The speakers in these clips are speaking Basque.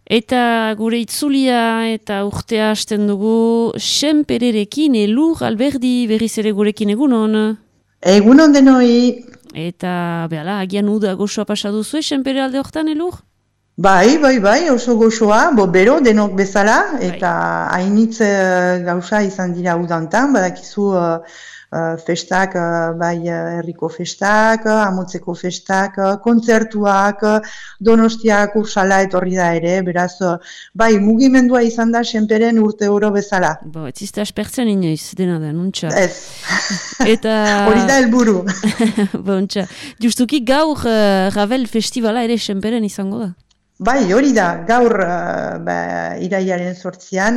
Eta gure itzulia eta urtea hasten dugu Senpererekin, Elur Alberdi berriz ere gurekin egunon. Egunon denoi. Eta behala, agian uda goxoa pasa duzu Senpere alde hortan, Elur? Bai, oso goxoa, bero denok bezala, eta hainitz gauza izan dira udantan, badakizu festak, bai herriko festak, amotzeko festak, kontzertuak, Donostiak ursala etorri da ere, beraz, bai mugimendua izan da Senperen urte oro bezala. Ez izte aspertzen inoiz, dena da, nuntza. Ez, eta... hori da helburu. Bontxa, justuki gaur Ravel festivala ere Senperen izango da. Bai, hori da, gaur irailaren 8an,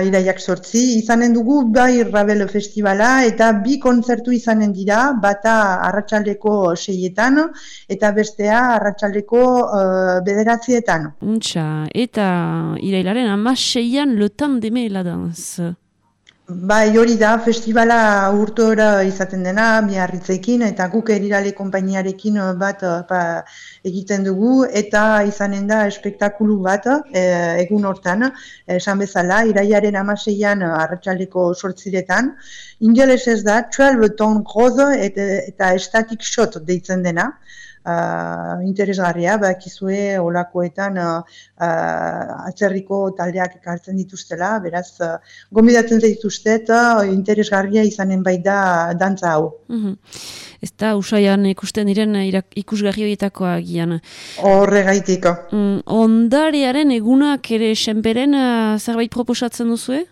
iraiak 8, izanen dugu bai Ravel festivala eta bi kontzertu izanen dira, bata arratsaldeko 6etan eta bestea arratsaldeko 9etan. Untxa, eta irailaren 16an Le Temps d'aimer la danse. Bai, hori da, festivala urtora izaten dena, Biarritzekin, eta guk Erirale konpainiarekin bat egiten dugu, eta izanen da espektakulu bat egun hortan, esan bezala, irailaren 16an arratsaldeko 8etan, ingelesez da, 12 ton rose eta static shot deitzen dena, interesgarria, bakizue olakoetan atzerriko taldeak ekartzen dituztela, beraz, gonbidatzen zaituztet, interesgarria izanen baita dantza hau. Ez da, usaian ikusten diren ikusgarri horietakoa gian. Horregaitik. Ondarearen egunak ere Senperen zerbait proposatzen duzue?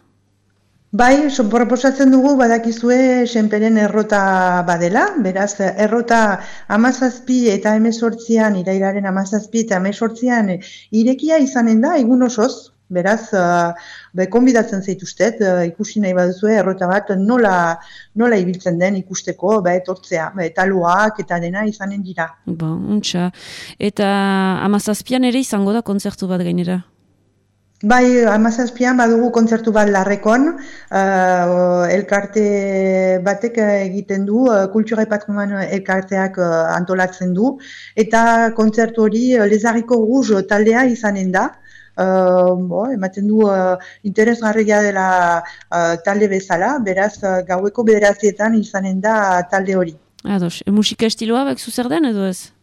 Bai, proposatzen dugu badakizue Senperen errota badela, beraz errota 17 eta 18an, irailaren 17 eta 18an irekia izanen da egun osoz, beraz konbidatzen zaituztet, ikusi nahi baduzue errota bat nola ibiltzen den ikusteko, etortzea, taloak eta dena izanen dira. Untxa, eta 17an ere izango da kontzertu bat gainera? Bai, 17an badugu kontzertu bat Larrekon, elkarte batek egiten du, Kultura et Patrimoine elkarteak antolatzen du, eta kontzertu hori Lezarriko Rouge taldea izanen da, ematen du interesgarria dela talde bezala, beraz gaueko 9etan izanen da talde hori. Ados, musika estiloa bakzu zer den edo ez?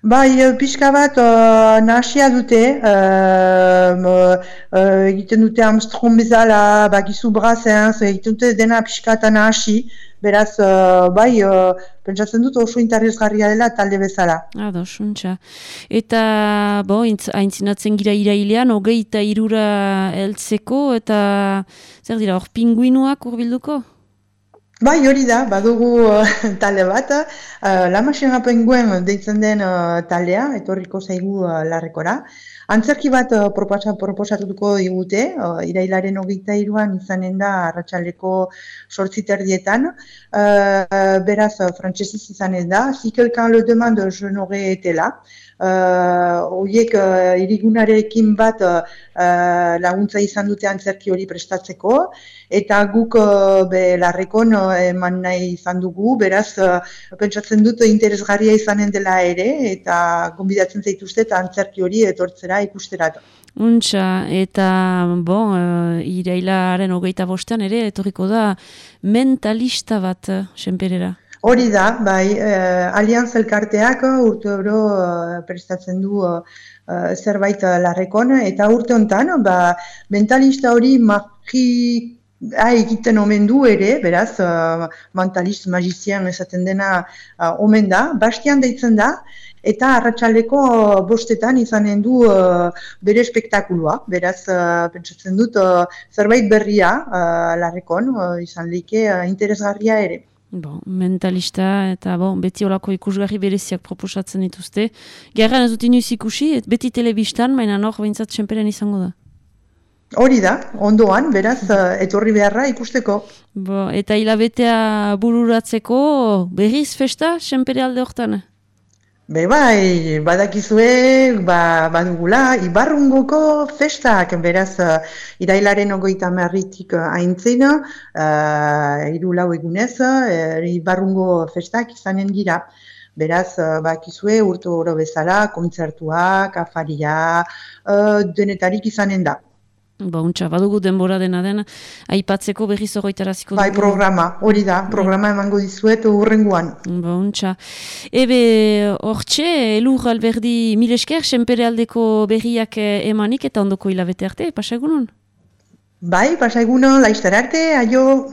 Bai, pixka bat nahasia dute, egiten dute Armstrong bezala, bakizu Brassens, egiten dute dena pixka eta nahasi, beraz, bai, pentsatzen dut oso interesgarria dela talde bezala. Ados, untxa. Eta, aintzinatzen gira irailean, 23 heltzeko, eta zer dira, hor pinguinuak urbilduko? Bai, hori da, badugu talde bat, La Machine Penguin deitzen den taldea, etorriko zaigu Larrekora. Antzerki bat proposatuko digute, irailaren 23an izanen da arratsaldeko 8:30, beraz, frantsesez izanen da, si quelqu'un le demande, je n'aurais été là. Horiek irigunarekin bat laguntza izan dute antzerki hori prestatzeko, eta guk Larrekon eman nahi izan dugu, beraz pentsatzen dut interesgarria izanen dela ere, eta gonbidatzen zaituztet antzerki hori etortzera ikusterat. Untxa, eta irailaren 25an ere etorriko da mentalista bat Senperera. Hori da, bai, Alianz elkarteak urte oro prestatzen du zerbait Larrekon, eta urte honetan, mentalista hori egiten omen du ere, beraz, mentalist, magizien esaten dena omen da, Bastian deitzen da, eta arratsaldeko 5etan izanen du bere espektakulua, beraz, pentsatzen dut zerbait berria Larrekon, izan leike interesgarria ere. Mentalista eta beti olako ikusgarri bereziak proposatzen dituzte. Gerran ez dut inoiz ikusi, beti telebistan, baina hor behintzat Senperen izango da. Hori da, ondoan, beraz, etorri beharra ikusteko. Eta hilabetea bururatzeko berriz festa Senpere alde hortan? Bai, badakizue, badugula, Ibarrungoko festak, beraz, irailaren 30tik aintzina, 3-4 egunez, Ibarrungo festak izanen dira. Beraz, bakizue urte oro bezala, kontzertuak, afaria, denetarik izanen da. Untxa, badugu denbora dena aipatzeko berriz horretaraziko dugu. Bai, programa, hori da, programa emango dizuet urrenguan. Untxa. Ebe, hortxe, Elur Alberdi mil esker, senpere aldeko berriak emanik eta ondoko hilabete arte, pasa egunon? Bai, pasa egunon, laizter arte, aio!